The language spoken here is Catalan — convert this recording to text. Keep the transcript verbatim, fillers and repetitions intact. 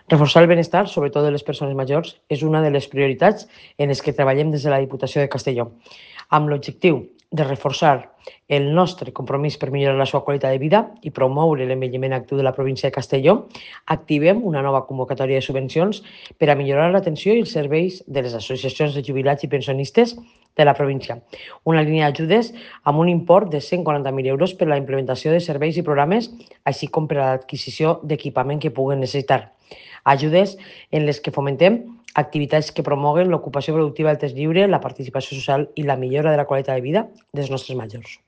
Reforçar el benestar, sobretot de les persones majors, és una de les prioritats en les que treballem des de la Diputació de Castelló, amb l'objectiu de reforçar el nostre compromís per millorar la seva qualitat de vida i promoure l'envelliment actiu de la província de Castelló. Activem una nova convocatòria de subvencions per a millorar l'atenció i els serveis de les associacions de jubilats i pensionistes de la província. Una línia d'ajudes amb un import de cent quaranta mil euros per a la implementació de serveis i programes, així com per a l'adquisició d'equipament que puguen necessitar. Ajudes en les que fomentem activitats que promoguen l'ocupació productiva del temps lliure, la participació social i la millora de la qualitat de vida dels nostres majors.